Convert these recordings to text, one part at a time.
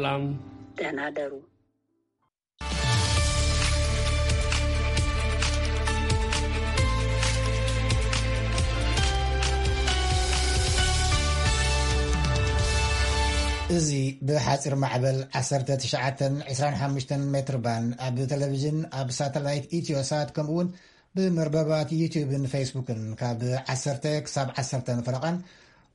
ሰላም፣ ደህና ደሩ። እዚ ብሓፂር ማዕበል ዓሰርተ ትሽዓተን ዕስራን ሓሙሽተን ሜትር ባንድ ኣብ ቴሌቪዥን፣ ኣብ ሳተላይት ኢትዮሳት፣ ከምኡ እውን ብመርበባት ዩቲዩብን ፌስቡክን ካብ ዓሰርተ ክሳብ ዓሰርተን ፈረቓን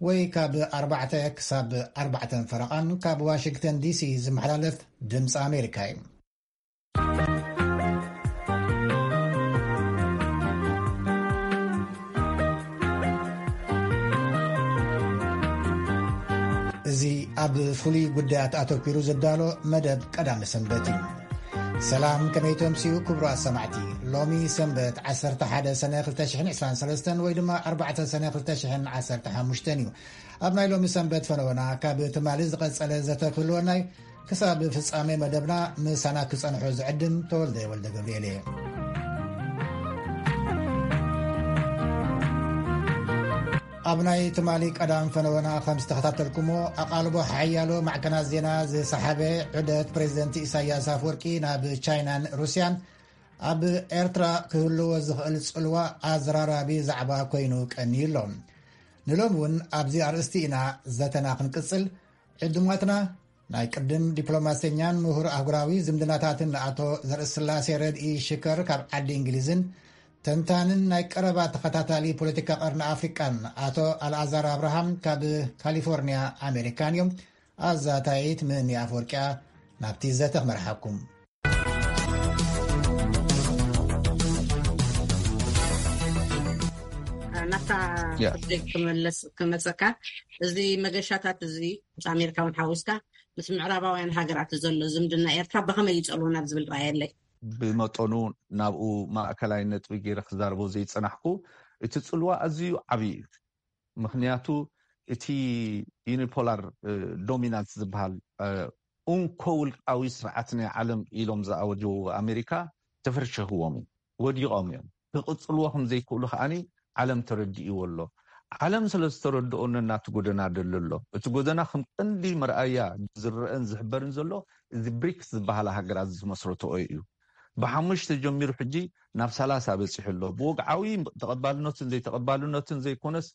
ወይ ካብ ኣርባዕተ ክሳብ ኣርባዕተን ፈረቓን ካብ ዋሽንግተን ዲሲ ዝመሓላለፍ ድምፂ ኣሜሪካ እዩ። እዚ ኣብ ፍሉይ ጉዳያት ኣተኲሩ ዝዳሎ መደብ ቀዳሚ ሰንበት እዩ። ሰላም፣ ከመይ ተምስዩ ክቡራት ሰማዕቲ? ሎሚ ሰንበት ዓሰርተ ሓደ ሰነ ክልተ ሽሕን ዕስራን ሰለስተን ወይ ድማ ኣርባዕተ ሰነ ክልተ ሽሕን ዓሰርተ ሓሙሽተን እዩ። ኣብ ናይ ሎሚ ሰንበት ፈነወና ካብ ትማሊ ዝቐጸለ ዘተ ክህልወና እዩ። ክሳብ ፍጻሜ መደብና ምሳና ክጸንሑ ዝዕድም ተወልደ ወልደ ገብርኤል እየ። ኣብ ናይ ትማሊ ቀዳም ፈነወና ከም ዝተኸታተልኩሞ፣ ኣቓልቦ ሓያሎ ማዕከናት ዜና ዝሰሓበ ዑደት ፕሬዚደንት ኢሳያስ ኣፈወርቂ ናብ ቻይናን ሩስያን ኣብ ኤርትራ ክህልዎ ዝኽእል ጽልዋ ኣዘራራቢ ዛዕባ ኮይኑ ቀንዩ ኣሎ። ንሎሚ እውን ኣብዚ ኣርእስቲ ኢና ዘተና ክንቅጽል። ዕዱማትና ናይ ቅድም ዲፕሎማሰኛን ምሁር ኣህጉራዊ ዝምድናታትን ኣቶ ዘርእስላሴ ረድኢ ሽከር ካብ ዓዲ እንግሊዝን፣ ተንታንን ናይ ቀረባ ተኸታታሊ ፖለቲካ ቀርኒ ኣፍሪቃን ኣቶ ኣልኣዛር ኣብርሃም ካብ ካሊፎርኒያ ኣሜሪካን እዮም። ኣዛታይት ምህኒ ኣፈወርቂያ ናብቲ ዘተ ክመርሓኩም። ናብታ ያ። ጉዳይ ክመለስ ክመፀካ፣ እዚ መገሻታት እዚ ምስ ኣሜሪካ እውን ሓዊስካ ምስ ምዕራባውያን ሃገራት ዘሎ ዝምድና ኤርትራ ብኸመይ ይፀልዎ ናብ ዝብል ራእየለይ። ብመጠኑ ናብኡ ማእከላይ ነጥቢ ገይረ ክዛረቦ ዘይጸናሕኩ፣ እቲ ጽልዋ ኣዝዩ ዓብዪ እዩ። ምኽንያቱ እቲ ዩኒፖላር እ፣ ዶሚናንስ ዝበሃል እ፣ እንኮ ውልቃዊ ስርዓት ናይ ዓለም ኢሎም ዝኣወጀዎ ኣሜሪካ ተፈርሸኽዎም እዩ፣ ወዲቖም እዮም። ክቕጽልዎ ከም ዘይክእሉ ከኣኒ ዓለም ተረዲእዎ ኣሎ። ዓለም ስለ ዝተረድኦ ነናቱ ጎደና ደሎ ኣሎ። እቲ ጎደና ከም ቀንዲ መርኣያ ዝረአን ዝሕበርን ዘሎ እዚ ብሪክስ ዝበሃላ ሃገራት ዝመስረትኦ እዩ። ብሓሙሽተ ጀሚሩ ሕጂ ናብ ሰላሳ በፂሑ ኣሎ። ብወግዓዊ ተቐባልነትን ዘይተቐባልነትን ዘይኮነስ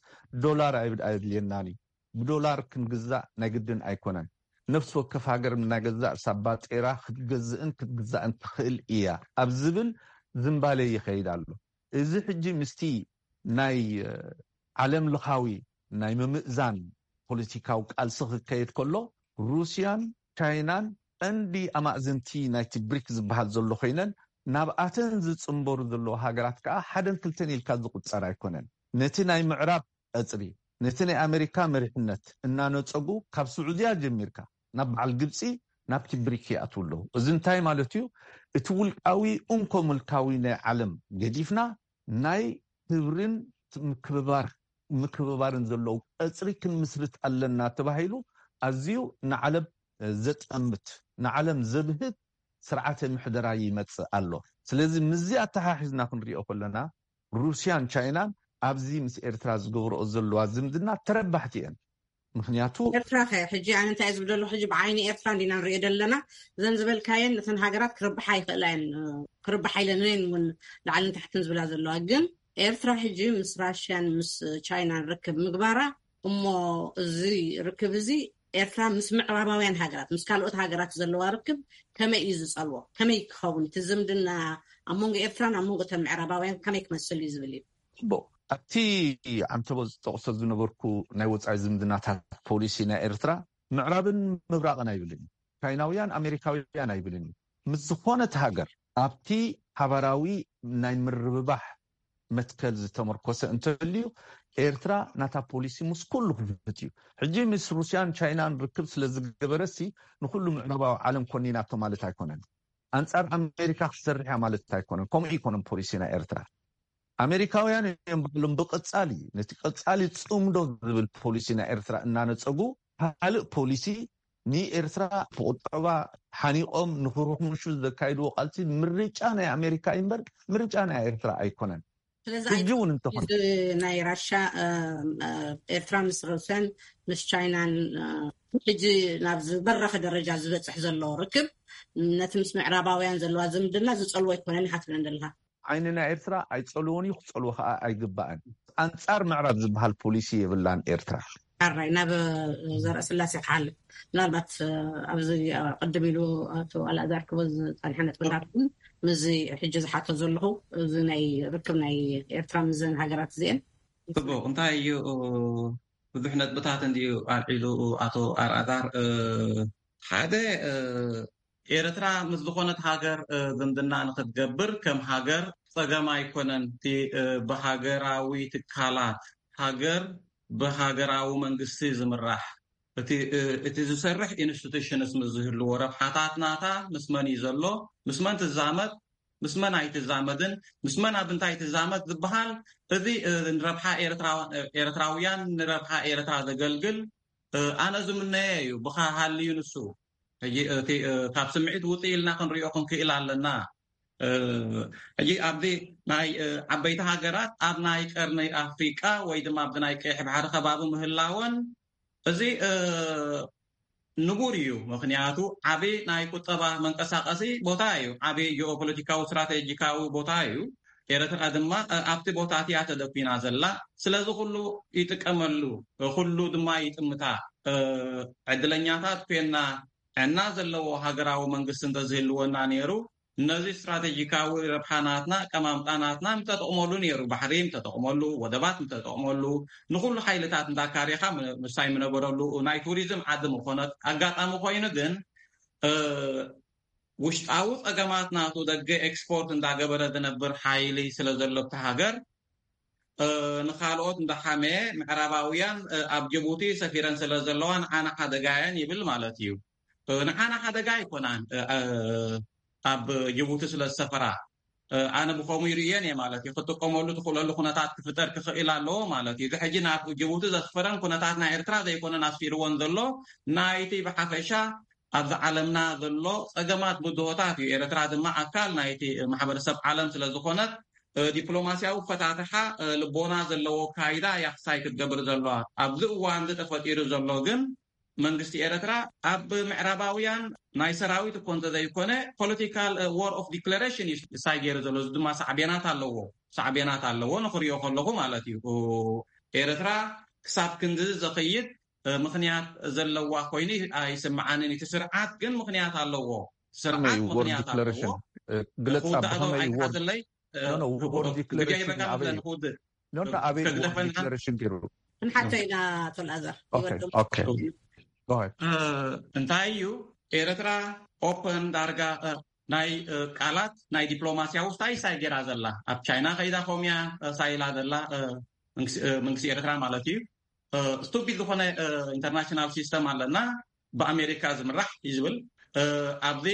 ዶላር ኣይብ- ኣየድልየናን እዩ። ብዶላር ክንግዛእ ናይ ግድን ኣይኮነን። ነፍሲ ወከፍ ሃገር እናገዛእ ሳባ ጤራ ክትገዝእን ክትግዛእን ትኽእል እያ ኣብ ዝብል ዝንባሌ ይኸይድ ኣሎ። እዚ ሕጂ ምስቲ ናይ እ፣ ዓለም ለኻዊ ናይ ምምእዛን ፖለቲካዊ ቃልሲ ክከየድ ከሎ ሩስያን ቻይናን ቀንዲ ኣማእዝንቲ ናይቲ ብሪክ ዝበሃል ዘሎ ኮይነን ናብኣተን ዝፅንበሩ ዘለዋ ሃገራት ከዓ ሓደን ክልተን ኢልካ ዝቁፀር ኣይኮነን። ነቲ ናይ ምዕራብ ቀፅሪ ነቲ ናይ ኣሜሪካ መሪሕነት እናነፀጉ ካብ ስዑድያ ጀሚርካ ናብ በዓል ግብፂ ናብቲ ብሪክ ይኣትዉ ኣለዉ። እዚ እንታይ ማለት እዩ? እቲ ውልቃዊ እንኮ ምልካዊ ናይ ዓለም ገዲፍና ናይ ክብርን ምክብባር ምክብባርን ዘለዉ ቀፅሪ ክንምስርት ኣለና ተባሂሉ ኣዝዩ ንዓለም ዘጠምት ንዓለም ዘብህት ስርዓተ ምሕደራ ይመፅእ ኣሎ። ስለዚ ምስዚ ኣተሓሒዝና ክንሪኦ ከለና ሩስያን ቻይናን ኣብዚ ምስ ኤርትራ ዝገብረኦ ዘለዋ ዝምድና ተረባሕቲ እየን። ምኽንያቱ ኤርትራ ከ ሕጂ ኣነ እንታይ ዝብል ዘሎ ሕጂ ብዓይኒ ኤርትራ እንዲና ንሪኦ ዘለና። እዘን ዝበልካየን እተን ሃገራት ክርብሓ ይኽእላ እየን። ክርብሓ ኢለን እየን እውን ላዕልን ታሕትን ዝብላ ዘለዋ። ግን ኤርትራ ሕጂ ምስ ራሽያን ምስ ቻይናን ርክብ ምግባራ እሞ እዚ ርክብ እዚ ኤርትራ ምስ ምዕራባውያን ሃገራት ምስ ካልኦት ሃገራት ዘለዋ ርክብ ከመይ እዩ ዝጸልዎ? ከመይ ክኸውን እቲ ዝምድና ኣብ መንጎ ኤርትራን ኣብ መንጎ እተን ምዕራባውያን ከመይ ክመስል እዩ ዝብል እዩ። ጽቡቕ። ኣብቲ ዓንተቦ ዝጠቕሶ ዝነበርኩ ናይ ወጻኢ ዝምድናታት ፖሊሲ ናይ ኤርትራ ምዕራብን ምብራቕን ኣይብልን እዩ። ቻይናውያን ኣሜሪካውያን ኣይብልን እዩ። ምስ ዝኾነት ሃገር ኣብቲ ሓባራዊ ናይ ምርብባሕ መትከል ዝተመርኮሰ እንተልዩ ኤርትራ ናታ ፖሊሲ ምስ ኩሉ ክፍት እዩ። ሕጂ ምስ ሩስያን ቻይናን ርክብ ስለ ዝገበረሲ ንኩሉ ምዕራባዊ ዓለም ኮኒናቶ ማለት ኣይኮነን። ኣንጻር ኣሜሪካ ክትሰርሕ እያ ማለት ኣይኮነን። ከምኡ ኣይኮነን ፖሊሲ ናይ ኤርትራ። ኣሜሪካውያን እዮም ባዕሎም ብቐጻሊ ነቲ ቀጻሊ ጽምዶ ዝብል ፖሊሲ ናይ ኤርትራ እናነጸጉ ካልእ ፖሊሲ ንኤርትራ ብቁጠባ ሓኒቆም ንክርሕምሹ ዘካይድዎ ቃልሲ ምርጫ ናይ ኣሜሪካ እዩ እምበር ምርጫ ናይ ኤርትራ ኣይኮነን። ሕጂ እውን እንተኾነ ናይ ራሻ ኤርትራ ምስ ሩስያን ምስ ቻይናን ሕጂ ናብ ዝበረኸ ደረጃ ዝበፅሕ ዘሎ ርክብ ነቲ ምስ ምዕራባውያን ዘለዋ ዝምድና ዝፀልዎ ኣይኮነን ኢኻ ትብለን ዘለኻ። ዓይኒ ናይ ኤርትራ ኣይፀልዎን እዩ፣ ክፀልዎ ከዓ ኣይግባእን። ኣንፃር ምዕራብ ዝበሃል ፖሊሲ የብላን ኤርትራ። ሓራይ ናብ ዘርእስላሴ ክሓልፍ ምናልባት ኣብዚ ቅድም ኢሉ ኣቶ ኣልኣዛር ክቦ ዝፀንሐ ነጥብታት እውን ምስዚ ሕጂ ዝሓቶ ዘለኹ እዚ ናይ ርክብ ናይ ኤርትራ ምዘን ሃገራት እዚአን ጽቡቕ። እንታይ እዩ ብዙሕ ነጥብታት እንድዩ ኣልዒሉ ኣቶ ኣልኣዛር። ሓደ ኤርትራ ምስ ዝኾነት ሃገር ዝምድና ንክትገብር ከም ሃገር ጸገም ኣይኮነን። እቲ ብሃገራዊ ትካላት ሃገር ብሃገራዊ መንግስቲ ዝምራሕ እቲ ዝሰርሕ ኢንስቲቱሽንስ ምስ ዝህልዎ ረብሓታት ናታ ምስ መን እዩ ዘሎ፣ ምስ መን ትዛመድ፣ ምስ መን ኣይትዛመድን፣ ምስ መን ኣብ እንታይ ትዛመድ ዝበሃል እዚ ንረብሓ ኤርትራውያን ንረብሓ ኤርትራ ዘገልግል ኣነ ዝምነየ እዩ። ብካ ሃልዩ ንሱ ሕጂ እቲ ካብ ስምዒት ውፅእ ኢልና ክንሪኦ ክንክእል ኣለና። ሕጂ ኣብዚ ናይ ዓበይቲ ሃገራት ኣብ ናይ ቀርኒ ኣፍሪቃ ወይ ድማ ኣብዚ ናይ ቀይሕ ባሕሪ ከባቢ ምህላወን እዚ ንቡር እዩ። ምክንያቱ ዓቢ ናይ ቁጠባ መንቀሳቀሲ ቦታ እዩ። ዓቢ ጂኦፖለቲካዊ ስትራቴጂካዊ ቦታ እዩ። ኤርትራ ድማ ኣብቲ ቦታ እቲያ ተደኩና ዘላ። ስለዚ ኩሉ ይጥቀመሉ፣ ኩሉ ድማ ይጥምታ። ዕድለኛታት ኮይና ዕና ዘለዎ ሃገራዊ መንግስቲ እንተዝህልወና ነይሩ ነዚ ስትራቴጂካዊ ረብሓ ናትና ቀማምጣ ናትና ምተጠቕመሉ ነይሩ። ባሕሪ ምተጠቕመሉ፣ ወደባት ምተጠቕመሉ፣ ንኩሉ ሓይልታት እንዳካሪኻ ምሳይ ምነበረሉ ናይ ቱሪዝም ዓዲ ምኾነት ኣጋጣሚ ኮይኑ ግን ውሽጣዊ ጸገማት ናቱ ደገ ኤክስፖርት እንዳገበረ ዝነብር ሓይሊ ስለ ዘሎ እቲ ሃገር ንካልኦት እንዳሓመየ ምዕራባውያን ኣብ ጅቡቲ ሰፊረን ስለ ዘለዋ ንዓና ሓደጋ እየን ይብል ማለት እዩ። ንዓና ሓደጋ ኣይኮናን ኣብ ጅቡቲ ስለ ዝሰፈራ። ኣነ ብከምኡ ይርእየን እየ ማለት እዩ። ክጥቀመሉ ትኽእለሉ ኩነታት ክፍጠር ክኽእል ኣለዎ ማለት እዩ። እዚ ሕጂ ናብ ጅቡቲ ዘስፈረን ኩነታት ናይ ኤርትራ ዘይኮነን ኣስፊርዎን ዘሎ ናይቲ ብሓፈሻ ኣብዚ ዓለምና ዘሎ ጸገማት ብድሆታት እዩ። ኤርትራ ድማ ኣካል ናይቲ ማሕበረሰብ ዓለም ስለ ዝኾነት ዲፕሎማሲያዊ ፈታትሓ ልቦና ዘለዎ ካይዳ ያክሳይ ክትገብር ዘለዋ ኣብዚ እዋን እዚ ተፈጢሩ ዘሎ ግን መንግስቲ ኤርትራ ኣብ ምዕራባውያን ናይ ሰራዊት እኮ እንተዘይኮነ ፖለቲካል ዋር ኦፍ ዲክለሬሽን እዩ ሳይ ገይሩ ዘሎ። እዚ ድማ ሳዕቤናት ኣለዎ፣ ሳዕቤናት ኣለዎ ንክሪኦ ከለኹ ማለት እዩ። ኤርትራ ክሳብ ክንዲ ዘኸይድ ምክንያት ዘለዋ ኮይኑ ኣይስምዓንን። እቲ ስርዓት ግን ምክንያት ኣለዎ። ስርዓት ምክንያት ኣለዎ። ግለጻ ብኸመይ እዩ ወርድ ዲክለሬሽን ኣበይ እዩ? ኖ ኖ ኣበይ እዩ ወርድ ዲክለሬሽን ገይሩ? ንሓቶ ኢና ኣቶ ልኣዘር እንታይ እዩ ኤርትራ ኦፐን ዳርጋ ናይ ቃላት ናይ ዲፕሎማሲያዊ ስታይ ሳይ ገይራ ዘላ ኣብ ቻይና ከይዳ ኮምያ ሳይላ ዘላ መንግስቲ ኤርትራ ማለት እዩ። ስቱፒድ ዝኾነ ኢንተርናሽናል ሲስተም ኣለና ብኣሜሪካ ዝምራሕ እዩ ዝብል ኣብዚ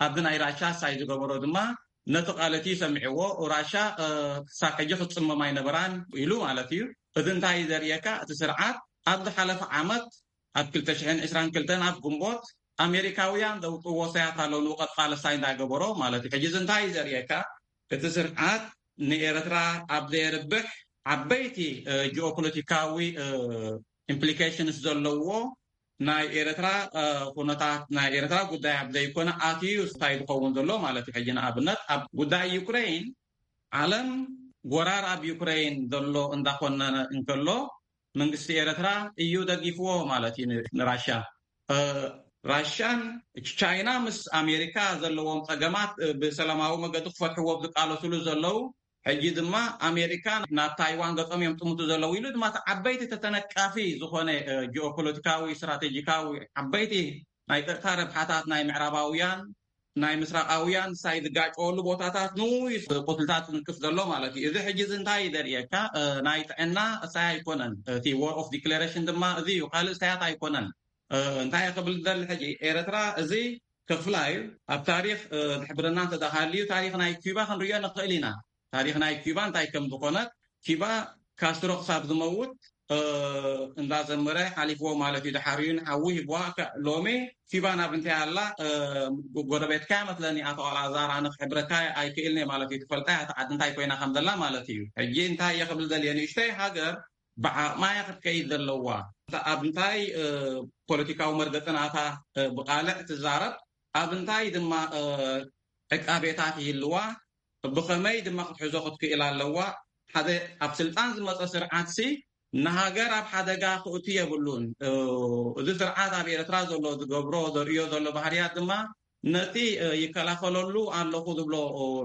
ኣብዚ ናይ ራሻ ሳይ ዝገበሮ ድማ ነቲ ቃል እቲ ሰሚዕዎ ራሻ ክሳብ ሕጂ ክትፅመም ኣይነበራን ኢሉ ማለት እዩ። እዚ እንታይ እዩ ዘርእየካ? እቲ ስርዓት ኣብ ዝሓለፈ ዓመት ኣብ ክልተ ሽሕን ዕስራን ክልተን ኣብ ግንቦት ኣሜሪካውያን ዘውፅዎ ሳያት ኣሎ ንውቀት ቃል ሳይ እንዳገበሮ ማለት እዩ። ሕጂ እዚ እንታይ እዩ ዘርእየካ? እቲ ስርዓት ንኤርትራ ኣብ ዘየርብሕ ዓበይቲ ጂኦፖለቲካዊ ኢምፕሊኬሽንስ ዘለዎ ናይ ኤርትራ ኩነታት ናይ ኤርትራ ጉዳይ ኣብ ዘይኮነ ኣትዩ እንታይ ዝኸውን ዘሎ ማለት እዩ። ሕጂ ንኣብነት ኣብ ጉዳይ ዩክሬን ዓለም ጎራር ኣብ ዩክሬን ዘሎ እንዳኮነነ እንከሎ መንግስቲ ኤርትራ እዩ ደጊፍዎ ማለት እዩ ንራሻ። ራሻን ቻይና ምስ ኣሜሪካ ዘለዎም ጸገማት ብሰላማዊ መገዲ ክፈትሕዎ ዝቃለሱሉ ዘለዉ ሕጂ ድማ ኣሜሪካ ናብ ታይዋን ገጾም እዮም ጥምቱ ዘለዉ ኢሉ ድማ እቲ ዓበይቲ ተተነቃፊ ዝኾነ ጂኦፖለቲካዊ ስትራቴጂካዊ ዓበይቲ ናይ ጸጥታ ረብሓታት ናይ ምዕራባውያን ናይ ምስራቃውያን ሳይ ዝጋጨወሉ ቦታታት ንዩ ቁስልታት ዝንክፍ ዘሎ ማለት እዩ። እዚ ሕጂ እዚ እንታይ እዩ ዘርእየካ? ናይ ጥዕና ሳይ ኣይኮነን። እቲ ዋር ኦፍ ዲክሌሬሽን ድማ እዚ እዩ፣ ካልእ ሳያት ኣይኮነን። እንታይ ክብል ዝደሊ ሕጂ ኤርትራ እዚ ክፍላ እዩ። ኣብ ታሪክ ዝሕብረና እንተተሃልዩ ታሪክ ናይ ኪባ ክንሪኦ ንኽእል ኢና። ታሪክ ናይ ኪባ እንታይ ከም ዝኾነት ኪባ ካስትሮ ክሳብ ዝመውት እንዳዘመረ ሓሊፍዎ ማለት እዩ። ድሓር እዩ ንሓዊ ሂብዋ። ሎሚ ኪባን ኣብ እንታይ ኣላ? ጎረቤትካ መስለኒ ኣቶ ኣልኣዛር፣ ኣነ ክሕብረካ ኣይክእልን እየ ማለት እዩ። ትፈልጣ እያ እታ ዓዲ እንታይ ኮይና ከም ዘላ ማለት እዩ። ሕጂ እንታይ እየ ክብል ዘልየ፣ ንእሽተይ ሃገር ብዓቕማ እያ ክትከይድ ዘለዋ። ኣብ እንታይ ፖለቲካዊ መርገፂ ናታ ብቃልዕ ትዛረብ፣ ኣብ እንታይ ድማ ዕቃቤታት ይህልዋ፣ ብኸመይ ድማ ክትሕዞ ክትክእል ኣለዋ። ሓደ ኣብ ስልጣን ዝመፀ ስርዓትሲ ንሃገር ኣብ ሓደጋ ክእቱ የብሉን። እዚ ስርዓት ኣብ ኤርትራ ዘሎ ዝገብሮ ዘርእዮ ዘሎ ባህርያት ድማ ነቲ ይከላኸለሉ ኣለኹ ዝብሎ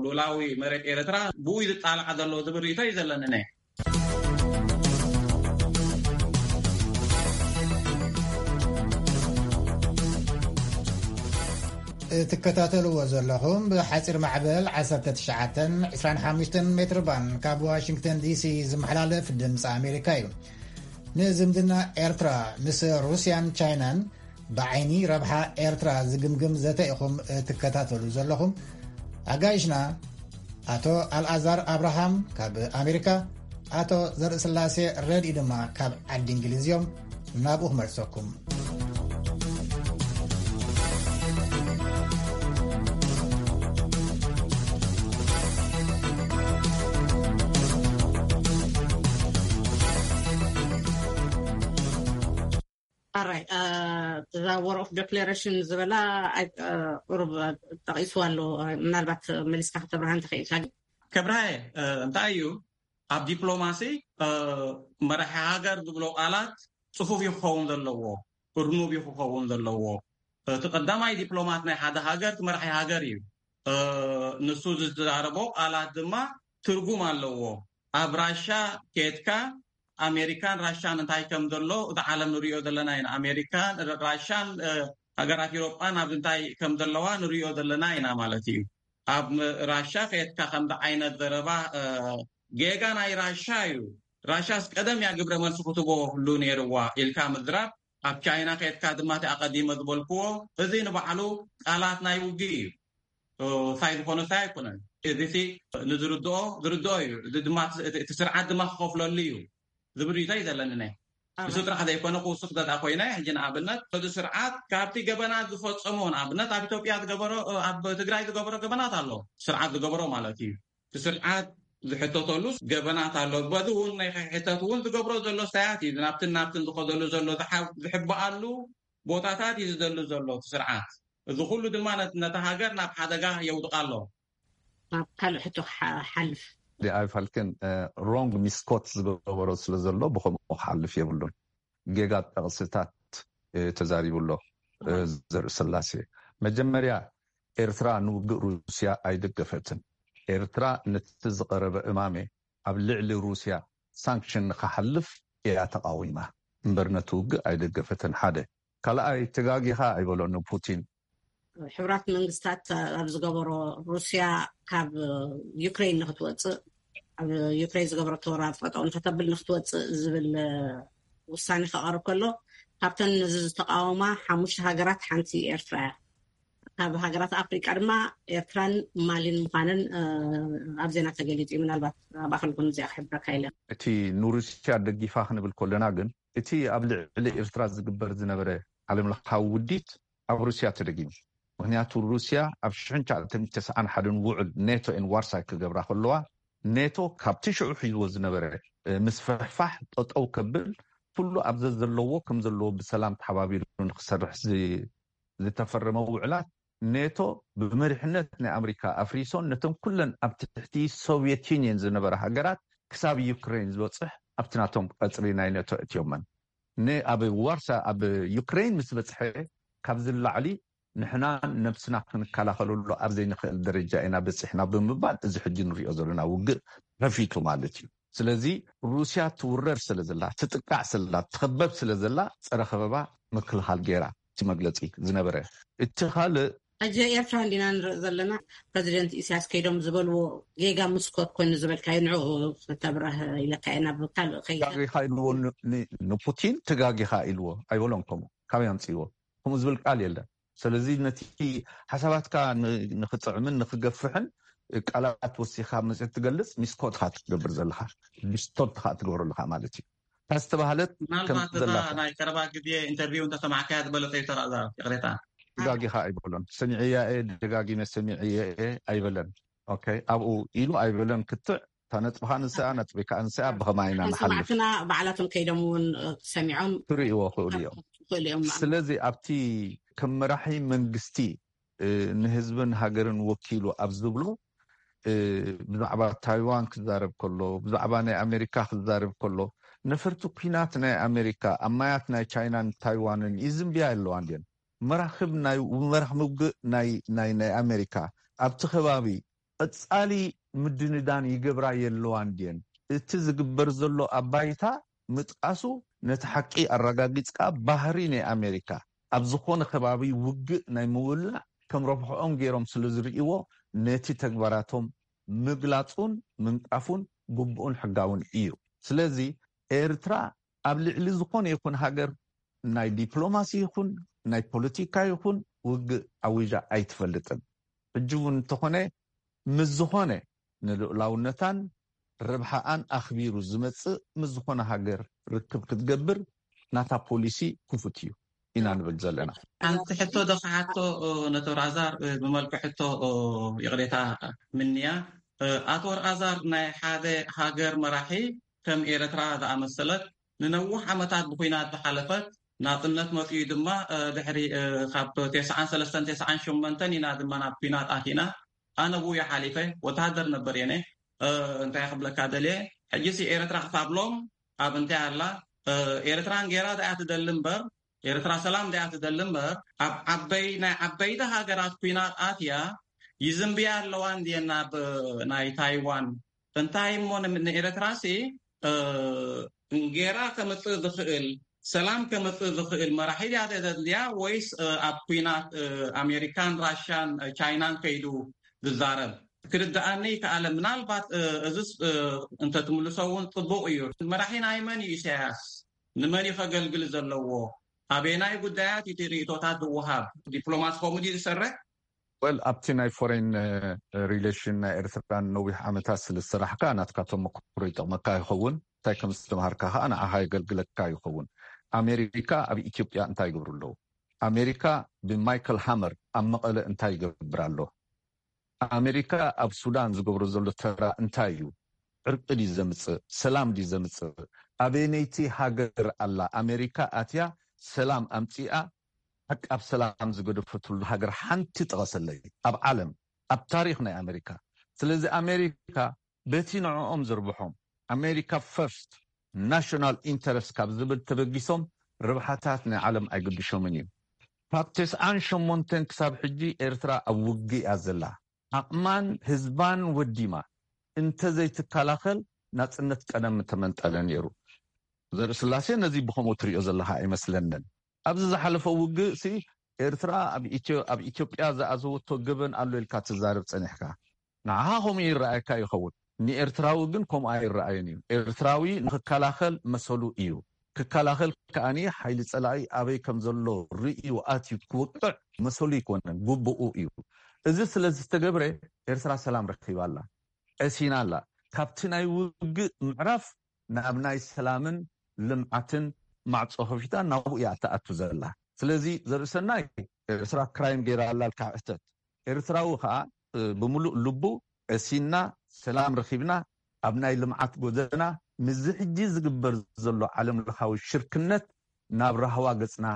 ሉላዊ መሬት ኤርትራ ብኡ ይጣልዓ ዘሎ ዝብል ርእቶ እዩ ዘለኒ። እትከታተልዎ ዘለኹም ብሓፂር ማዕበል ዓሰርተ ትሽዓተ ዕስራን ሓሙሽተን ሜትር ባን ካብ ዋሽንግተን ዲሲ ዝመሓላለፍ ድምፂ ኣሜሪካ እዩ። ንዝምድና ኤርትራ ምስ ሩስያን ቻይናን ብዓይኒ ረብሓ ኤርትራ ዝግምግም ዘተ ኢኹም እትከታተሉ ዘለኹም። ኣጋይሽና ኣቶ ኣልኣዛር ኣብርሃም ካብ ኣሜሪካ፣ ኣቶ ዘርእስላሴ ረድኢ ድማ ካብ ዓዲ እንግሊዝ እዮም። ናብኡ ክመልሰኩም። ኣራይ እዛ ወር ኦፍ ዴክሌሬሽን ዝበላ ቁሩብ ጠቂስዋ ኣሎ። ምናልባት መሊስካ ከተብርሃ እንተኽኢልካ። ከብርሃየ፣ እንታይ እዩ ኣብ ዲፕሎማሲ መራሒ ሃገር ዝብሎ ቃላት ፅፉፍ እዩ ክኸውን ዘለዎ፣ እርኑብ እዩ ክኸውን ዘለዎ። እቲ ቀዳማይ ዲፕሎማት ናይ ሓደ ሃገር እቲ መራሒ ሃገር እዩ። ንሱ ዝዛረቦ ቃላት ድማ ትርጉም ኣለዎ። ኣብ ራሻ ኬድካ ኣሜሪካን ራሻን እንታይ ከም ዘሎ እቲ ዓለም ንሪኦ ዘለና ኢና። ኣሜሪካን ራሻን ሃገራት ኢሮጳን ኣብዚ እንታይ ከም ዘለዋ ንሪኦ ዘለና ኢና ማለት እዩ። ኣብ ራሻ ከየትካ ከምዚ ዓይነት ዘረባ ጌጋ ናይ ራሻ እዩ። ራሻስ ቀደም እያ ግብረ መልሲ ክትቦ ህሉ ነይርዋ ኢልካ ምዝራብ፣ ኣብ ቻይና ከየትካ ድማ እቲ ኣቐዲመ ዝበልክዎ እዚ ንባዕሉ ቃላት ናይ ውግእ እዩ። ሳይ ዝኾነ ሳይ ኣይኮነን። እዚ ንዝርድኦ ዝርድኦ እዩ። እዚ ድማ እቲ ስርዓት ድማ ክኸፍለሉ እዩ ዝብል ርእቶ እዩ ዘለኒ። ናይ እሱ ጥራሕ ዘይኮነ ክውስኽ ዘድኣ ኮይነ ሕጂ ንኣብነት እዚ ስርዓት ካብቲ ገበናት ዝፈጸሞ ንኣብነት ኣብ ኢትዮጵያ ዝገበሮ ኣብ ትግራይ ዝገበሮ ገበናት ኣሎ። ስርዓት ዝገበሮ ማለት እዩ። እቲ ስርዓት ዝሕተተሉ ገበናት ኣሎ። በዚ እውን ናይ ሕተት እውን ዝገብሮ ዘሎ ሳያት እዩ። ናብትን ናብትን ዝኸደሉ ዘሎ ዝሕበኣሉ ቦታታት እዩ ዝደሉ ዘሎ እቲ ስርዓት። እዚ ኩሉ ድማ ነታ ሃገር ናብ ሓደጋ የውድቃ ኣሎ። ናብ ካልእ ሕቶ ክሓልፍ ዲኣይ ፋልክን ሮንግ ሚስኮት ዝገበሮ ስለ ዘሎ ብከምኡ ክሓልፍ የብሉን። ጌጋ ጠቕስታት ተዛሪቡ ኣሎ ዘርኢ ስላሴ። መጀመርያ ኤርትራ ንውግእ ሩስያ ኣይደገፈትን። ኤርትራ ነቲ ዝቐረበ እማመ ኣብ ልዕሊ ሩስያ ሳንክሽን ንክሓልፍ እያ ተቓዊማ እምበር ነቲ ውግእ ኣይደገፈትን። ሓደ ካልኣይ ተጋጊኻ ኣይበሎ ንፑቲን። ሕቡራት መንግስታት ኣብ ዝገበሮ ሩስያ ካብ ዩክሬን ንክትወፅእ ኣብ ዩክሬን ዝገበረቶ ወራር ጠጠው ንክተብል ንክትወፅእ ዝብል ውሳኔ ከቐርብ ከሎ ካብተን ነዚ ዝተቃወማ ሓሙሽተ ሃገራት ሓንቲ ኤርትራ እያ። ካብ ሃገራት ኣፍሪቃ ድማ ኤርትራን ማሊን ምዃነን ኣብ ዜና ተገሊጹ እዩ። ምናልባት ኣብ ኣኸልኩም እዚኣ ክሕብረካ ኢለ። እቲ ንሩስያ ደጊፋ ክንብል ከለና ግን እቲ ኣብ ልዕሊ ኤርትራ ዝግበር ዝነበረ ዓለም ለኻዊ ውዲት ኣብ ሩስያ ተደጊሙ። ምክንያቱ ሩስያ ኣብ ሽሕን ትሽዓተ ሚእትን ተስዓን ሓደን ውዕል ኔቶ ኤን ዋርሳይ ክገብራ ከለዋ ኔቶ ካብቲ ሽዑ ሒዝዎ ዝነበረ ምስፍሕፋሕ ጠጠው ከብል ኩሉ ኣብ ዘዘለዎ ከም ዘለዎ ብሰላም ተሓባቢሩ ንክሰርሕ ዝተፈረመ ውዕላት ኔቶ ብመሪሕነት ናይ ኣመሪካ ኣፍሪሶን ነተን ኩለን ኣብ ትሕቲ ሶቭየት ዩኒየን ዝነበራ ሃገራት ክሳብ ዩክሬን ዝበፅሕ ኣብቲ ናቶም ቀፅሪ ናይ ኔቶ እትዮመን። ኣብ ዋርሳ ኣብ ዩክሬን ምስ በፅሐ ካብዚ ላዕሊ ንሕና ነብስና ክንከላኸለሉ ኣብ ዘይንኽእል ደረጃ ኢና በፂሕና ብምባል እዚ ሕጂ ንሪኦ ዘለና ውግእ ከፊቱ ማለት እዩ። ስለዚ ሩስያ ትውረር ስለ ዘላ ትጥቃዕ ስላ ትኸበብ ስለ ዘላ ፀረ ከበባ ምክልኻል ገይራ እቲ መግለፂ ዝነበረ። እቲ ካልእ ሕጂ ኤርትራ እንዲና ንርኢ ዘለና። ፕረዚደንት ኢሳያስ ከይዶም ዝበልዎ ጌጋ ምስኮት ኮይኑ ዝበልካዮ ንዕኡ ክተብረህ ኢለካ እየ ናብ ካልእ ከይዳ። ተጋጊኻ ኢልዎ ንፑቲን ተጋጊኻ ኢልዎ ኣይበሎን። ከምኡ ካበይ ኣምፅእዎ? ከምኡ ዝብል ቃል የለን። ስለዚ ነቲ ሓሳባትካ ንክጥዕምን ንክገፍሕን ቃላት ወሲኻ መፅእ ትገልፅ ሚስኮት ካ ትገብር ዘለካ ዲስቶርት ካ ትገብሮ ኣለካ ማለት እዩ። ዝተባህለት ከም ምናልባት እዛ ዘላታ ናይ ቀረባ ግዜ ኢንተርቪው እንተሰማዕካያ ዝበለጸ እዩ ተራእዛ። ይቕሬታ። ደጋጊኻ ኣይበሎን። ሰሚዐያ እየ፣ ደጋጊመ ሰሚዐየ እየ ኣይበለን። ኦኬ፣ ኣብኡ ኢሉ ኣይበለን ክትዕ። እታ ነጥብኻ ንስኣ፣ ነጥቢ ከዓ ንስኣ፣ ብኸማይ ኢና ንሓልፍ? ሰማዕትና ባዕላቶም ከይዶም እውን ሰሚዖም ክርእይዎ ክእሉ እዮም። ክእሉ እዮም። ስለዚ ኣብቲ ከም መራሒ መንግስቲ ንህዝብን ሃገርን ወኪሉ ኣብ ዝብሎ ብዛዕባ ታይዋን ክዛረብ ከሎ፣ ብዛዕባ ናይ ኣሜሪካ ክዛረብ ከሎ፣ ነፈርቲ ኩናት ናይ ኣሜሪካ ኣብ ማያት ናይ ቻይናን ታይዋንን ይዝንብያ ኣለዋ እንድየን። መራክብ ናይ መራክብ ውግእ ናይ ናይ ናይ ኣሜሪካ ኣብቲ ከባቢ ቀጻሊ ምድንዳን ይገብራ የለዋ እንድየን። እቲ ዝግበር ዘሎ ኣባይታ ምጥቃሱ ነቲ ሓቂ ኣረጋጊጽካ፣ ባህሪ ናይ ኣሜሪካ ኣብ ዝኾነ ከባቢ ውግእ ናይ ምውላዕ ከም ረብሕኦም ገይሮም ስለ ዝርእይዎ፣ ነቲ ተግባራቶም ምግላጹን ምንቃፉን ግቡእን ሕጋውን እዩ። ስለዚ ኤርትራ ኣብ ልዕሊ ዝኾነ ይኹን ሃገር ናይ ዲፕሎማሲ ይኹን ናይ ፖለቲካ ይኹን ውግእ ኣዊጃ ኣይትፈልጥን። ሕጂ እውን እንተኾነ ምስ ዝኾነ ንልኡላውነታን ረብሓኣን ኣኽቢሩ ዝመጽእ ምስ ዝኾነ ሃገር ርክብ ክትገብር ናታ ፖሊሲ ክፉት እዩ ኢና ንብል ዘለና። ሓንቲ ሕቶ ዶ ክሓቶ ነቶ ራዛር ብመልክዕ ሕቶ ይቕሬታ ምንያ። ኣቶ ራዛር፣ ናይ ሓደ ሃገር መራሒ ከም ኤርትራ ዝኣመሰለት ንነዊሕ ዓመታት ብኩናት ዝሓለፈት፣ ናጽነት መጺኡ ድማ ድሕሪ ካብ ተስዓን ሰለስተን ተስዓን ሸሞንተን ኢና ድማ ናብ ኩናት ኣቲና። ኣነ ብኡ ሓሊፈ ወተሃደር ነበር የነ። እንታይ ክብለካ ደልየ፣ ሕጂሲ ኤርትራ ክሳብ ሎም ኣብ እንታይ ኣላ? ኤርትራ እንጌራ ደኣ ትደሊ እምበር፣ ኤርትራ ሰላም ደኣ ትደሊ እምበር፣ ኣብ ዓበይ ናይ ዓበይቲ ሃገራት ኩናት ኣትያ ይዝንብያ ኣለዋ እንድየን ናብ ናይ ታይዋን። እንታይ እሞ ን- ንኤርትራሲ እንጌራ ከምጽእ ዝኽእል፣ ሰላም ከምጽእ ዝኽእል መራሒ ድያ ተደልያ ወይስ ኣብ ኩናት ኣሜሪካን ራሻን ቻይናን ከይዱ ዝዛረብ? ክርድኣኒ ይከኣለ። ምናልባት እዚስ እንተትምልሶ እውን ጽቡቕ እዩ። መራሒ ናይ መን እዩ ኢሳያስ? ንመን እዩ ከገልግል ዘለዎ? ኣበየናይ ጉዳያት እዩ እቲ ርእይቶታት ዝወሃብ? ዲፕሎማት ከምኡ ድዩ ዝሰርሕ? ወል ኣብቲ ናይ ፎሬን ሪሌሽን ናይ ኤርትራን ነዊሕ ዓመታት ስለ ዝሰራሕካ ናትካ ተመክሮ ይጠቕመካ ይኸውን። እንታይ ከም ዝተምሃርካ ከዓ ንዓኻ የገልግለካ ይኸውን። ኣሜሪካ ኣብ ኢትዮጵያ እንታይ ይገብሩ ኣለዉ? ኣሜሪካ ብማይክል ሃመር ኣብ መቐለ እንታይ ይገብር ኣሎ? ኣሜሪካ ኣብ ሱዳን ዝገብሮ ዘሎ ተራ እንታይ እዩ? ዕርቂ ድዩ ዘምፅእ? ሰላም ድዩ ዘምፅእ? ኣበየነይቲ ሃገር ኣላ ኣሜሪካ ኣትያ ሰላም ኣምፂኣ? ሓቂ ኣብ ሰላም ዝገደፈትሉ ሃገር ሓንቲ ጥቐሰለይ ኣብ ዓለም፣ ኣብ ታሪክ ናይ ኣሜሪካ። ስለዚ ኣሜሪካ በቲ ንዕኦም ዝርብሖም፣ ኣሜሪካ ፈርስት፣ ናሽናል ኢንተረስት ካብ ዝብል ተበጊሶም ረብሓታት ናይ ዓለም ኣይግድሾምን እዩ። ካብ ተስዓን ሸሞንተን ክሳብ ሕጂ ኤርትራ ኣብ ውግእ እያ ዘላ። ዓቕማን ህዝባን ወዲማ እንተዘይትከላኸል ናጽነት ቀደም ምተመንጠለ ነይሩ። ዘርኢ ስላሴ ነዚ ብኸምኡ ትሪኦ ዘለኻ ኣይመስለንን። ኣብዚ ዝሓለፈ ውግእ ሲ ኤርትራ ኣብ ኢትዮ- ኣብ ኢትዮጵያ ዝኣዘወቶ ገበን ኣሎ ኢልካ ትዛረብ ጸኒሕካ። ንዓኻ ከምኡ ይረኣየካ ይኸውን፣ ንኤርትራዊ ግን ከምኡ ኣይረኣየን እዩ። ኤርትራዊ ንኽከላኸል መሰሉ እዩ። ክከላኸል ከኣኒ ሓይሊ ጸላኢ ኣበይ ከም ዘሎ ርእዩ ኣትዩ ክውቅዕ መሰሉ ይኮነን፣ ግቡኡ እዩ። እዚ ስለ ዝተገብረ ኤርትራ ሰላም ረኺባ ኣላ፣ ቀሲና ኣላ። ካብቲ ናይ ውግእ ምዕራፍ ናብ ናይ ሰላምን ልምዓትን ማዕጾ ከፊታ ናብኡ እያ እትኣቱ ዘላ። ስለዚ ዘርእሰናይ ኤርትራ ክራይም ገይራ ኣላ ኢልካ ሕተት። ኤርትራዊ ከዓ ብምሉእ ልቡ ቀሲና ሰላም ረኺብና ኣብ ናይ ልምዓት ጎደና ምስዚ ሕጂ ዝግበር ዘሎ ዓለም ለኻዊ ሽርክነት ናብ ራህዋ ገጽና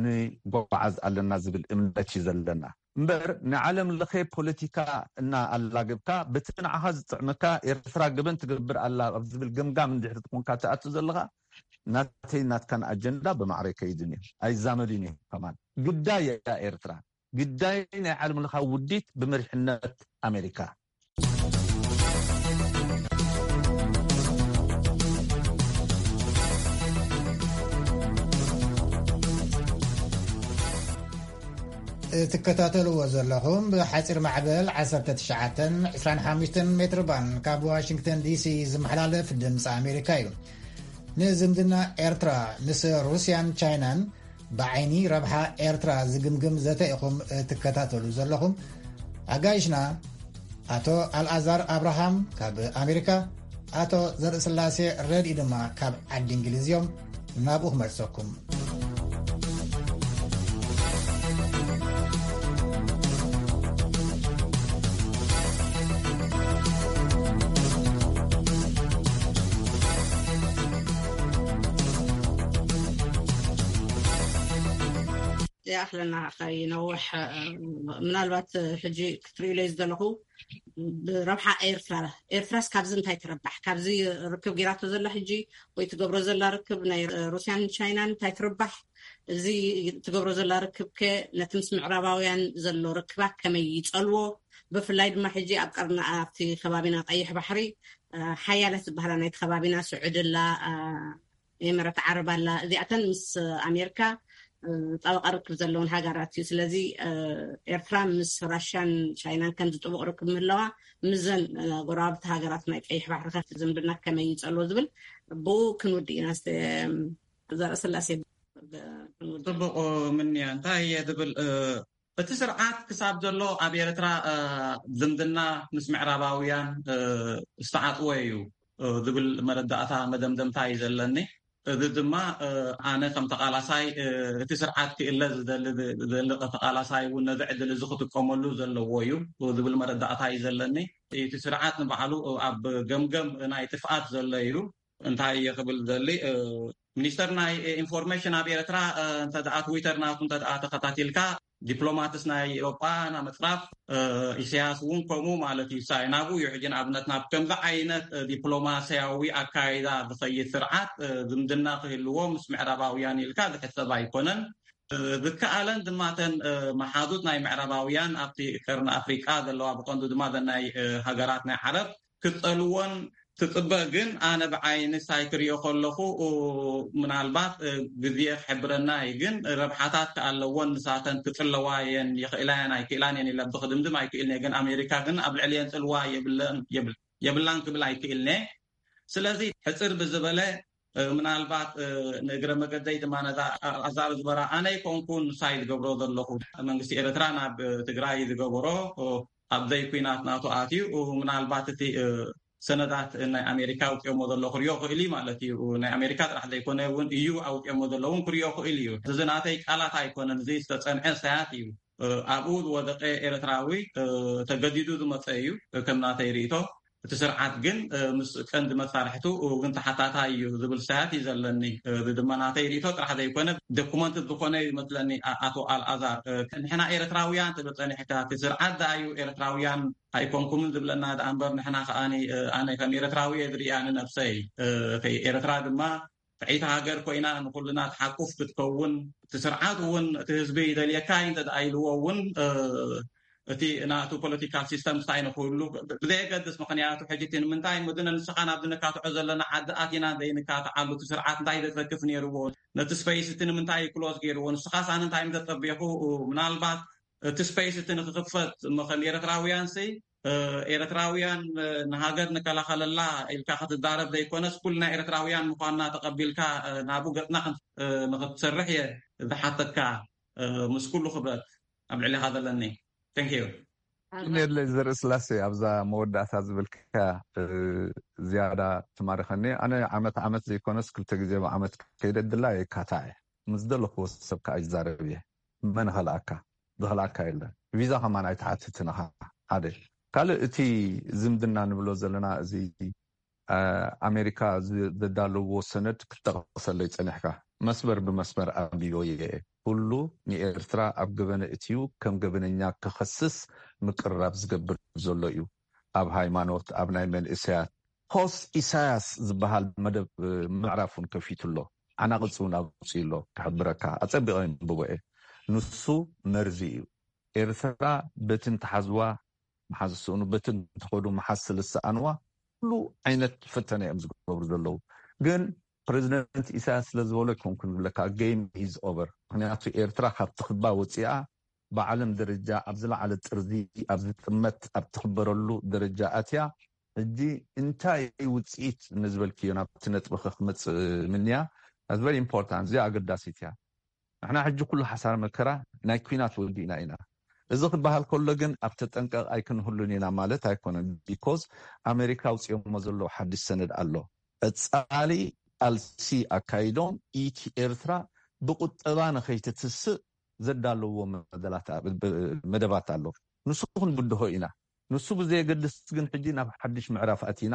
ንጓዓዝ ኣለና ዝብል እምነት እዩ ዘለና። እምበር ንዓለም ለኸ ፖለቲካ እና ኣላገብካ በቲ ንዓኻ ዝጥዕመካ ኤርትራ ገበን ትገብር ኣላ ኣብ ዝብል ገምጋም እንድሕር ትኾንካ ትኣቱ ዘለኻ ናተይ ናትካን ኣጀንዳ ብማዕረ ከይድን እዩ ኣይዛመድን እዩ። ከማን ግዳይ እያ ኤርትራ፣ ግዳይ ናይ ዓለም ለኻዊ ውዲት ብመሪሕነት ኣሜሪካ። እትከታተልዎ ዘለኹም ብሓፂር ማዕበል ዓሰርተ ትሽዓተ ዕስራን ሓሙሽተን ሜትር ባንድ ካብ ዋሽንግተን ዲሲ ዝመሓላለፍ ድምፂ ኣሜሪካ እዩ። ንዝምድና ኤርትራ ምስ ሩስያን ቻይናን ብዓይኒ ረብሓ ኤርትራ ዝግምግም ዘተ ኢኹም እትከታተሉ ዘለኹም። ኣጋይሽና ኣቶ ኣልኣዛር ኣብርሃም ካብ ኣሜሪካ፣ ኣቶ ዘርእስላሴ ረድኢ ድማ ካብ ዓዲ እንግሊዝ እዮም። ናብኡ ክመልሰኩም። ይኣኽለና ከይነውሕ፣ ምናልባት ሕጂ ክትርእዩለይ ዝደለኹ ብረብሓ ኤርትራ፣ ኤርትራስ ካብዚ እንታይ ትረባሕ? ካብዚ ርክብ ጌራቶ ዘላ ሕጂ ወይ ትገብሮ ዘላ ርክብ ናይ ሩስያን ቻይናን እንታይ ትርባሕ? እዚ ትገብሮ ዘላ ርክብ ከ ነቲ ምስ ምዕራባውያን ዘሎ ርክባ ከመይ ይጸልዎ? ብፍላይ ድማ ሕጂ ኣብ ቀርኒ ኣብቲ ከባቢና ቀይሕ ባሕሪ ሓያለት ዝበሃላ ናይቲ ከባቢና ስዑዲ ኣላ፣ ኤምረት ዓረብ ኣላ። እዚኣተን ምስ ኣሜሪካ ጣበቃ ርክብ ዘለውን ሃገራት እዩ። ስለዚ ኤርትራ ምስ ራሽያን ቻይናን ከምዚ ጥቡቕ ርክብ ምህለዋ ምስዘን ጎረባብቲ ሃገራት ናይ ቀይሕ ባሕሪ ከ ዝምድና ከመይ ይጸሎ ዝብል ብኡ ክንውድእ ኢና። ዘርእስላሴ ጽቡቕ ምንያ እንታይ እየ ዝብል እቲ ስርዓት ክሳብ ዘሎ ኣብ ኤርትራ ዝምድና ምስ ምዕራባውያን ዝተዓጥወ እዩ ዝብል መረዳእታ መደምደምታ እዩ ዘለኒ። እዚ ድማ ኣነ ከም ተቓላሳይ እቲ ስርዓት ክእለ ዝደሊ ተቓላሳይ እውን ነዚ ዕድል እዚ ክጥቀመሉ ዘለዎ እዩ ዝብል መረዳእታ እዩ ዘለኒ። እቲ ስርዓት ንባዕሉ ኣብ ገምገም ናይ ጥፍኣት ዘሎ እዩ። እንታይ እየ ክብል ዘሊ ሚኒስተር ናይ ኢንፎርሜሽን ኣብ ኤርትራ እንተ ትዊተር ናቱ እንተ ተኸታቲልካ ዲፕሎማትስ ናይ ኤሮጳ ናብ ምጽራፍ ኢሳያስ እውን ከምኡ ማለት እዩ። ሳይ ናብኡ እዩ ሕጂ ንኣብነት ናብ ከምዚ ዓይነት ዲፕሎማስያዊ ኣካይዳ ዝኸይድ ስርዓት ዝምድና ክህልዎ ምስ ምዕራባውያን ኢልካ ዝሕሰብ ኣይኮነን። ዝከኣለን ድማ ተን መሓዙት ናይ ምዕራባውያን ኣብቲ ቀርኒ ኣፍሪቃ ዘለዋ ብቐንዱ ድማ ዘናይ ሃገራት ናይ ዓረብ ክጸልዎን ትጽበ ግን ኣነ ብዓይኒ ሳይ ክሪኦ ከለኹ ምናልባት ግዜ ክሕብረና እዩ። ግን ረብሓታት ከኣለዎን ንሳተን ክጽለዋ የን ይኽእላ የን ኣይክእላን የን ኢለ ብክድምድም ኣይክእልን እየ። ግን ኣሜሪካ ግን ኣብ ልዕሊ የን ጽልዋ የብላን ክብል ኣይክእልን እየ። ስለዚ ሕጽር ብዝበለ ምናልባት ንእግረ መገደይ ድማ ነዛ ኣዛር ዝበራ ኣነ ይኮንኩን ሳይ ዝገብሮ ዘለኹ መንግስቲ ኤርትራ ናብ ትግራይ ዝገበሮ ኣብ ዘይኩናት ናቱ ኣትዩ ምናልባት እቲ ሰነዳት ናይ ኣሜሪካ ኣውፅኦሞ ዘሎ ክሪኦ ክእል እዩ ማለት እዩ። ናይ ኣሜሪካ ጥራሕ ዘይኮነ እውን እዩ ኣውፅኦሞ ዘሎ እውን ክሪኦ ክእል እዩ። እዚ ናተይ ቃላት ኣይኮነን፣ እዚ ዝተፀንዐ ሳያት እዩ። ኣብኡ ዝወደቀ ኤርትራዊ ተገዲዱ ዝመፀ እዩ። ከም ናተይ ርእቶ እቲ ስርዓት ግን ምስ ቀንዲ መሳርሕቱ እውን ተሓታታይ እዩ ዝብል ሳያት እዩ ዘለኒ። እዚ ድማ ናተይ ርእቶ ጥራሕ ዘይኮነ ዶኩመንት ዝኾነ ይመስለኒ። ኣቶ ኣልኣዛር ንሕና ኤርትራውያን ትብል ፀኒሕካ፣ እቲ ስርዓት ደኣ እዩ ኤርትራውያን ኣይኮንኩምን ዝብለና ደኣ እምበር ንሕና ከኣ ኣነ ከም ኤርትራዊ እየ ዝርእያ ንነብሰይ። ኤርትራ ድማ ጥዕይቲ ሃገር ኮይና ንኩልና ትሓቁፍ ክትከውን እቲ ስርዓት እውን እቲ ህዝቢ ይደልየካ እዩ እንተ ኢልዎ እውን እቲ ናቱ ፖለቲካል ሲስተም ስታይ ንክህሉ ብዘየገድስ ምክንያቱ ሕጂ እቲ ንምንታይ ምድነ ንስኻ ናብ ዝንካትዖ ዘለና ዓዲ ኣቲና ዘይንካትዓሉ እቲ ስርዓት እንታይ ዘትረክፍ ነይርዎ ነቲ ስፐይስ እቲ ንምንታይ ክሎዝ ገይርዎ ንስኻ ሳን እንታይ ምተጸቢኹ ምናልባት እቲ ስፐይስ እቲ ንክክፈት ከም ኤርትራውያን ሲ ኤርትራውያን ንሃገር ንከላኸለላ ኢልካ ክትዛረብ ዘይኮነስ ኩልና ኤርትራውያን ምኳንና ተቀቢልካ ናብኡ ገጽና ንክትሰርሕ እየ ዝሓተካ። ምስ ኩሉ ክብረት ኣብ ልዕሊካ ዘለኒ thank you። ነድለ ዘርኢ ስላሴ ኣብዛ መወዳእታ ዝብልካ ዝያዳ ትማርኸኒ። ኣነ ዓመት ዓመት ዘይኮነስ ክልተ ግዜ ብዓመት ከይደ ድላ የካታዕ ምስ ዘለኽዎ ሰብ ከዓ ይዛረብ እየ። መን ኸልኣካ ዝኸልኣካ የለን። ቪዛ ከማን ኣይትሓትትን ኢኻ። ሓደ ካልእ እቲ ዝምድና ንብሎ ዘለና እዚ ኣሜሪካ ዘዳለዎ ሰነድ ክትጠቕሰለይ ጸኒሕካ መስመር ብመስመር ኣንቢቦ እየ። ኩሉ ንኤርትራ ኣብ ገበነ እትዩ ከም ገበነኛ ክኸስስ ምቅርራብ ዝገብር ዘሎ እዩ። ኣብ ሃይማኖት፣ ኣብ ናይ መንእሰያት ፖስት ኢሳያስ ዝበሃል መደብ ምዕራፍ እውን ከፊቱ ኣሎ። ዓናቕጽ እውን ኣውፅኡ ኣሎ። ክሕብረካ ኣጸቢቐ የንብቦ እየ። ንሱ መርዚ እዩ። ኤርትራ በቲ እንትሓዝዋ መሓዝ ዝስእኑ በቲ እንትኸዱ መሓዝ ስለ ዝሰኣንዋ ኩሉ ዓይነት ፈተነ እዮም ዝገብሩ ዘለዉ። ግን ፕሬዚደንት ኢሳያስ ስለ ዝበሎ ኣይኮንኩን ዝብለካ game is over። ምክንያቱ ኤርትራ ካብ ትኽባ ወፂኣ ብዓለም ደረጃ ኣብ ዝለዓለ ጥርዚ ኣብ ዝጥመት ኣብ ትኽበረሉ ደረጃ ኣትያ። ሕጂ እንታይ ውፅኢት ንዝበልክዮ ናብቲ ነጥቢ ክመፅእ ምንያ that's very important። እዚኣ ኣገዳሲት እያ። ንሕና ሕጂ ኩሉ ሓሳር መከራ ናይ ኩናት ወዲእና ኢና። እዚ ክበሃል ከሎ ግን ኣብ ተጠንቀቕ ኣይክንህሉን ኢና ማለት ኣይኮነን። ቢኮዝ ኣሜሪካ ኣውፅኦሞ ዘለዉ ሓድሽ ሰነድ ኣሎ። ቀፃሊ ቃልሲ ኣካይዶም ኢቲ ኤርትራ ብቁጠባ ንኸይትትስእ ዘዳለዎ መደላት መደባት ኣሎ። ንሱ ክንብድሆ ኢና። ንሱ ብዘየገድስ ግን ሕጂ ናብ ሓድሽ ምዕራፍ ኣቲና።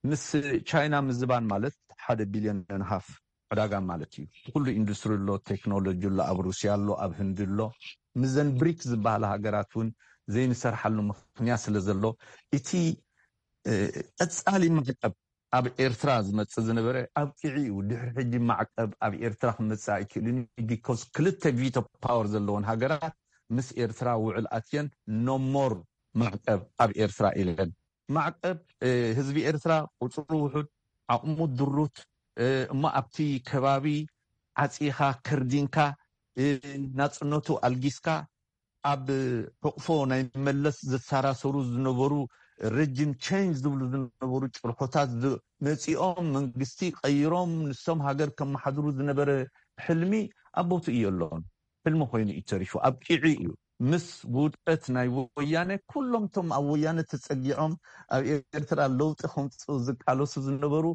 ምስ ቻይና ምዝባን ማለት ሓደ ቢልዮን ሃፍ ዕዳጋ ማለት እዩ። ኩሉ ኢንዱስትሪ ኣሎ፣ ቴክኖሎጂ ኣሎ፣ ኣብ ሩስያ ኣሎ፣ ኣብ ህንዲ ኣሎ። ምዘን ብሪክ ዝበሃላ ሃገራት እውን ዘይንሰርሓሉ ምክንያት ስለ ዘሎ እቲ ቀፃሊ ማዕቀብ ኣብ ኤርትራ ዝመፅእ ዝነበረ ኣብቂዒ እዩ። ድሕሪ ሕጂ ማዕቀብ ኣብ ኤርትራ ክመፅእ ኣይክእልን እዩ። ቢኮዝ ክልተ ቪቶ ፓወር ዘለወን ሃገራት ምስ ኤርትራ ውዕል ኣትየን ኖሞር ማዕቀብ ኣብ ኤርትራ ኢለን። ማዕቀብ ህዝቢ ኤርትራ ቁፅሩ ውሑድ፣ ዓቕሙ ድሩት፣ እሞ ኣብቲ ከባቢ ዓፂኻ ከርዲንካ ናፅነቱ ኣልጊስካ ኣብ ሕቕፎ ናይ መለስ ዘሰራሰሩ ዝነበሩ ረጅም ቸንጅ ዝብሉ ዝነበሩ ጭርሖታት መፂኦም መንግስቲ ቀይሮም ንሶም ሃገር ከመሓድሩ ዝነበረ ሕልሚ ኣብ ቦትኡ የሎን። ሕልሚ ኮይኑ እዩ ተሪፉ፣ ኣብቂዑ እዩ። ምስ ውድቀት ናይ ወያነ ኩሎም ቶም ኣብ ወያነ ተፀጊዖም ኣብ ኤርትራ ለውጢ ከምፅኡ ዝቃለሱ ዝነበሩ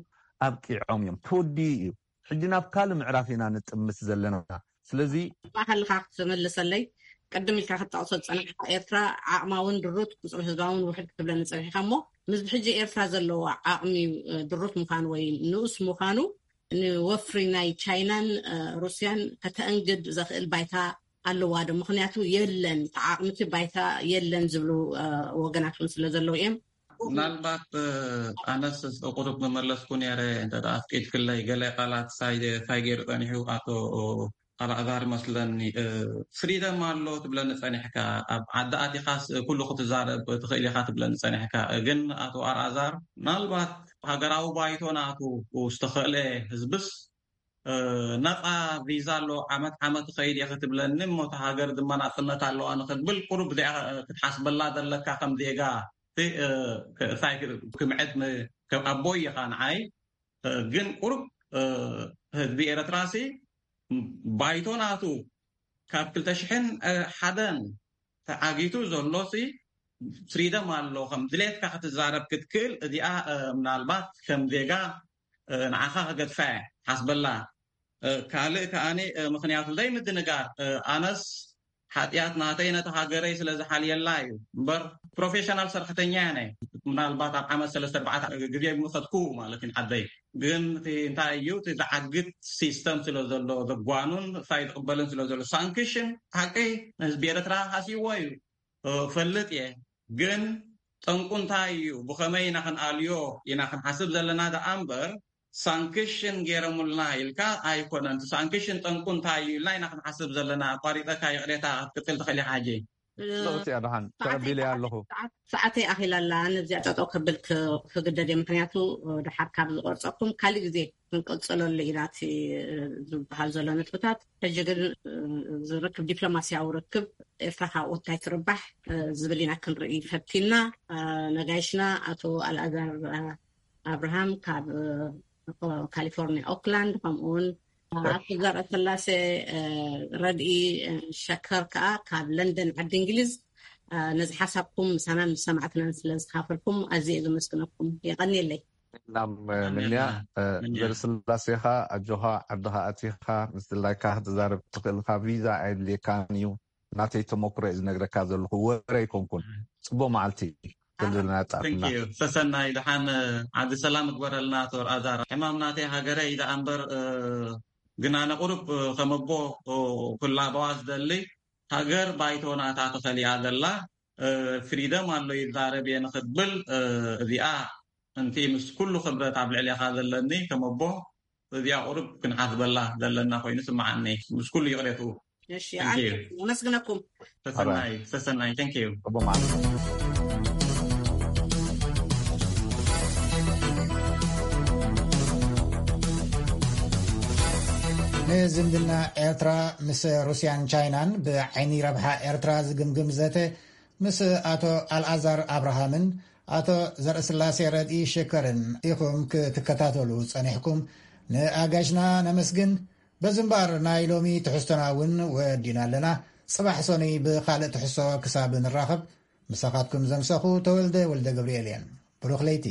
ኣብቂዖም እዮም። ተወዲኡ እዩ። ሕጂ ናብ ካልእ ምዕራፍ ኢና ንጥምት ዘለና። ስለዚ ማእኸልካ ክትምልሰለይ ቅድም ኢልካ ክትጠቕሶ ዝፀናሕካ ኤርትራ ዓቕማውን ድሩት ቁፅሪ ህዝባውን ውሕድ ክትብለኒ ፀኒሕካ እሞ ምስ ሕጂ ኤርትራ ዘለዎ ዓቕሚ ድሩት ምዃኑ ወይ ንኡስ ምዃኑ ንወፍሪ ናይ ቻይናን ሩስያን ከተእንግድ ዘኽእል ባይታ ኣለዋ ዶ? ምክንያቱ የለን ተዓቕምቲ ባይታ የለን ዝብሉ ወገናት እውን ስለ ዘለዉ እዮም። ምናልባት ኣነስ ቁሩብ መመለስኩ ነረ እንተ ኣፍቂድክለይ ገለ ቃላት ሳይ ገይሩ ፀኒሑ ኣቶ ኣልኣዛር መስለኒ ፍሪደም ኣሎ ትብለኒ ፀኒሕካ ኣብ ዓዲ ኣቲኻስ ኩሉ ክትዛረብ ትኽእል ኢኻ ትብለኒ ፀኒሕካ ግን ኣቶ ኣልኣዛር ምናልባት ሃገራዊ ባይቶ ናቱ ዝተኸእለ ህዝብስ ነፃ ቪዛ ኣሎ ዓመት ዓመት ኸይድ እየ ክትብለኒ እሞ እታ ሃገር ድማ ናፅነት ኣለዋ ንክትብል ቁሩብ እዚኣ ክትሓስበላ ዘለካ ከም ዜጋ እንታይ ክምዕድ ኣቦይ ኢኻ ንዓይ ግን ቁሩብ ህዝቢ ኤረትራሲ ባይቶ ናቱ ካብ ክልተ ሽሕን ሓደን ተዓጊቱ ዘሎ ሲ ፍሪደም ኣሎ ከም ድሌትካ ክትዛረብ ክትክእል እዚኣ ምናልባት ከም ዜጋ ንዓኻ ክገድፋ እየ ሓስበላ ካልእ ከኣ ምክንያቱ ዘይምድንጋር ኣነስ ሓጢኣት ናተይ ነቲ ሃገረይ ስለ ዝሓልየላ እዩ እምበር ፕሮፌሽናል ሰራሕተኛ እየ ምናልባት ኣብ ዓመት ሰለስተ ኣርባዕተ ግዜ ምኸድኩ ማለት እዩ ዓደይ ግን እቲ እንታይ እዩ እቲ ዝዓግት ሲስተም ስለ ዘሎ ዘጓኑን ሳይ ዝቕበልን ስለ ዘሎ ሳንክሽን ሓቂ ንህዝቢ ኤርትራ ሃስይዎ እዩ ፈልጥ እየ ግን ጠንቁ እንታይ እዩ ብኸመይ ኢና ክንኣልዮ ኢና ክንሓስብ ዘለና ደኣ እምበር ሳንክሽን ገይረሙልና ኢልካ ኣይኮነን እቲ ሳንክሽን ጠንቁ እንታይ እዩ ኢልና ኢና ክንሓስብ ዘለና ኣቋሪፀካ ይቕሬታ ክትቅፅል ትኽእል ኢኻ ሕጂ ለውጢ ኣድሓን ተቐቢለ ኣለኹ ሰዓተይ ኣኺላ ኣላ ነዚኣ ጠጠው ከብል ክግደድ እየ ምክንያቱ ድሓር ካብ ዝቆርፀኩም ካሊእ ግዜ ክንቅፅለሉ ኢና እቲ ዝበሃል ዘሎ ነጥብታት ሕጂ ግን ዝርክብ ዲፕሎማስያዊ ርክብ ኤርትራ ካብኡ እንታይ ትርባሕ ዝብል ኢና ክንርኢ ፈቲና ነጋይሽና ኣቶ ኣልኣዛር ኣብርሃም ካብ ካሊፎርኒያ ኦክላንድ ከምኡውን ኣቶ ዘርእ ስላሴ ረድኢ ሸከር ከዓ ካብ ለንደን ዓዲ እንግሊዝ ነዚ ሓሳብኩም ምሳናን ምስ ሰማዕትናን ስለ ዝካፈልኩም ኣዝየ ዘመስግነኩም የቐንየለይ ናብ ምንያ ዘርስላሴኻ ኣጆኻ ዓድኻ ኣቲኻ ምስ ድላይካ ክትዛረብ ትኽእልካ ቪዛ ኣየድልየካን እዩ ናተይ ተመክሮ እዩ ዝነግረካ ዘለኹ ወረ ኣይኮንኩን ፅቡቅ መዓልቲ ዘለና ጣዕምና ሰሰናይ ድሓን ዓዲ ሰላም እግበረልና ቶር ኣዛር ሕማም ናተይ ሃገረ እዩ ደኣ እምበር ግን ኣነ ቁሩብ ከመቦ ክላበዋ ዝደሊ ሃገር ባይቶ ናታ ተኸሊኣ ዘላ ፍሪደም ኣሎ ይዛረብ እየ ንክብል እዚኣ እንቲ ምስ ኩሉ ክብረት ኣብ ልዕሌኻ ዘለኒ ከመቦ እዚኣ ቁሩብ ክንሓስበላ ዘለና ኮይኑ ስምዓኒ ምስ ኩሉ ይቕሬትኡ ኣመስግነኩም ሰሰናይ ሰሰናይ thank you ንዝምድና ኤርትራ ምስ ሩስያን ቻይናን ብዓይኒ ረብሓ ኤርትራ ዝግምግም ዘተ ምስ ኣቶ ኣልኣዛር ኣብርሃምን ኣቶ ዘርእስላሴ ረድኢ ሽከርን ኢኹም ክትከታተሉ ጸኒሕኩም ንኣጋሽና ነመስግን በዚ እምበኣር ናይ ሎሚ ትሕዝቶና እውን ወዲና ኣለና ጽባሕ ሰኑይ ብኻልእ ትሕሶ ክሳብ ንራኸብ፣ ምሳኻትኩም ዘምሰኹ ተወልደ ወልደ ገብርኤል እየን። ብሩኽ ለይቲ።